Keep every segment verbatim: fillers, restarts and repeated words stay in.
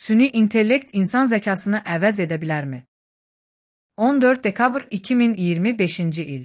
Süni intellekt insan zekasını əvəz edə bilərmi? on dörd dekabr iki min iyirmi beşinci il.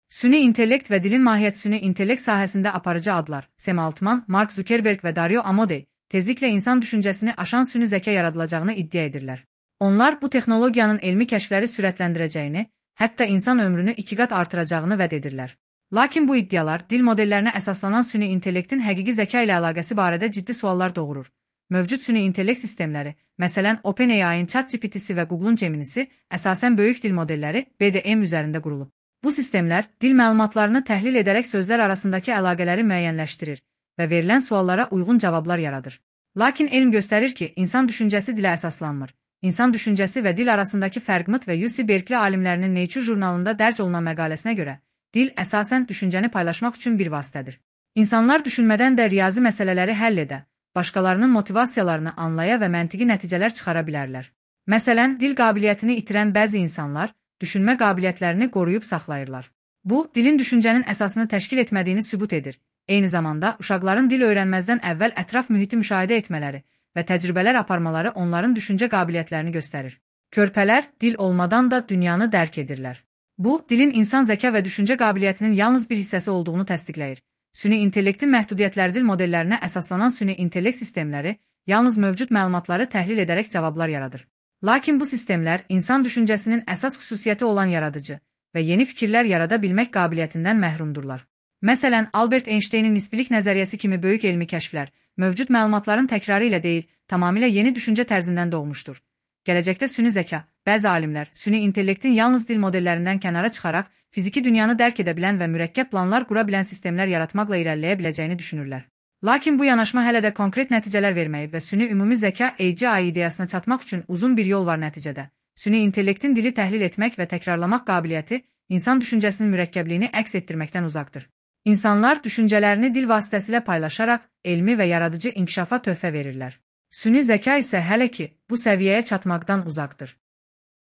Süni intellekt və dilin mahiyyəti süni intellekt sahəsində aparıcı adlar Sam Altman, Mark Zuckerberg və Dario Amodei tezliklə insan düşüncəsini aşan süni zəka yaradılacağını iddia edirlər. Onlar bu texnologiyanın elmi kəşfləri sürətləndirəcəyini, hətta insan ömrünü iki qat artıracağını vəd edirlər. Lakin bu iddialar dil modellərinə əsaslanan süni intellektin həqiqi zəka ilə əlaqəsi barədə ciddi suallar doğurur. Mövcud süni intellekt sistemləri, məsələn OpenAI-in ChatGPT-si və Google'un Gemini-si əsasən böyük dil modelləri B D M üzərində qurulub. Bu sistemlər dil məlumatlarını təhlil edərək sözlər arasındakı əlaqələri müəyyənləşdirir və verilən suallara uyğun cavablar yaradır. Lakin elm göstərir ki, insan düşüncəsi dilə əsaslanmır. İnsan düşüncəsi və dil arasındakı fərq və U C Berkeley alimlərinin Nature jurnalında dərc olunan məqaləsinə görə, dil əsasən düşüncəni paylaşmaq üçün bir vasitədir. İnsanlar düşünmədən də riyazi məsələləri həll edə, başqalarının motivasiyalarını anlaya və məntiqi nəticələr çıxara bilərlər. Məsələn, dil qabiliyyətini itirən bəzi insanlar düşünmə qabiliyyətlərini qoruyub saxlayırlar. Bu, dilin düşüncənin əsasını təşkil etmədiyini sübut edir. Eyni zamanda, uşaqların dil öyrənməzdən əvvəl ətraf mühiti müşahidə etmələri və təcrübələr aparmaları onların düşüncə qabiliyyətlərini göstərir. Körpələr dil olmadan da dünyanı dərk edirlər. Bu, dilin insan zəka və düşüncə qabiliyyətinin yalnız bir hissəsi olduğunu təsdiqləyir. Süni intellektin məhdudiyyətləri dil modellərinə əsaslanan süni intellekt sistemləri yalnız mövcud məlumatları təhlil edərək cavablar yaradır. Lakin bu sistemlər insan düşüncəsinin əsas xüsusiyyəti olan yaradıcı və yeni fikirlər yarada bilmək qabiliyyətindən məhrumdurlar. Məsələn, Albert Einsteynin nisbilik nəzəriyyəsi kimi böyük elmi kəşflər mövcud məlumatların təkrarı ilə deyil, tamamilə yeni düşüncə tərzindən doğmuşdur. Gələcəkdə süni zəka, bəzi alimlər süni intellektin yalnız dil modellərindən kənara çıxaraq fiziki dünyanı dərk edə bilən və mürəkkəb planlar qura bilən sistemlər yaratmaqla irəliləyə biləcəyini düşünürlər. Lakin bu yanaşma hələ də konkret nəticələr verməyib və süni ümumi zəka A G I ideyasına çatmaq üçün uzun bir yol var nəticədə. Süni intellektin dili təhlil etmək və təkrarlamaq qabiliyyəti insan düşüncəsinin mürəkkəbliyini əks etdirməkdən uzaqdır. İnsanlar düşüncələrini dil vasitəsilə paylaşaraq elmi və yaradıcı inkişafa töhfə verirlər. Süni zəka isə hələ ki bu səviyyəyə çatmaqdan uzaqdır.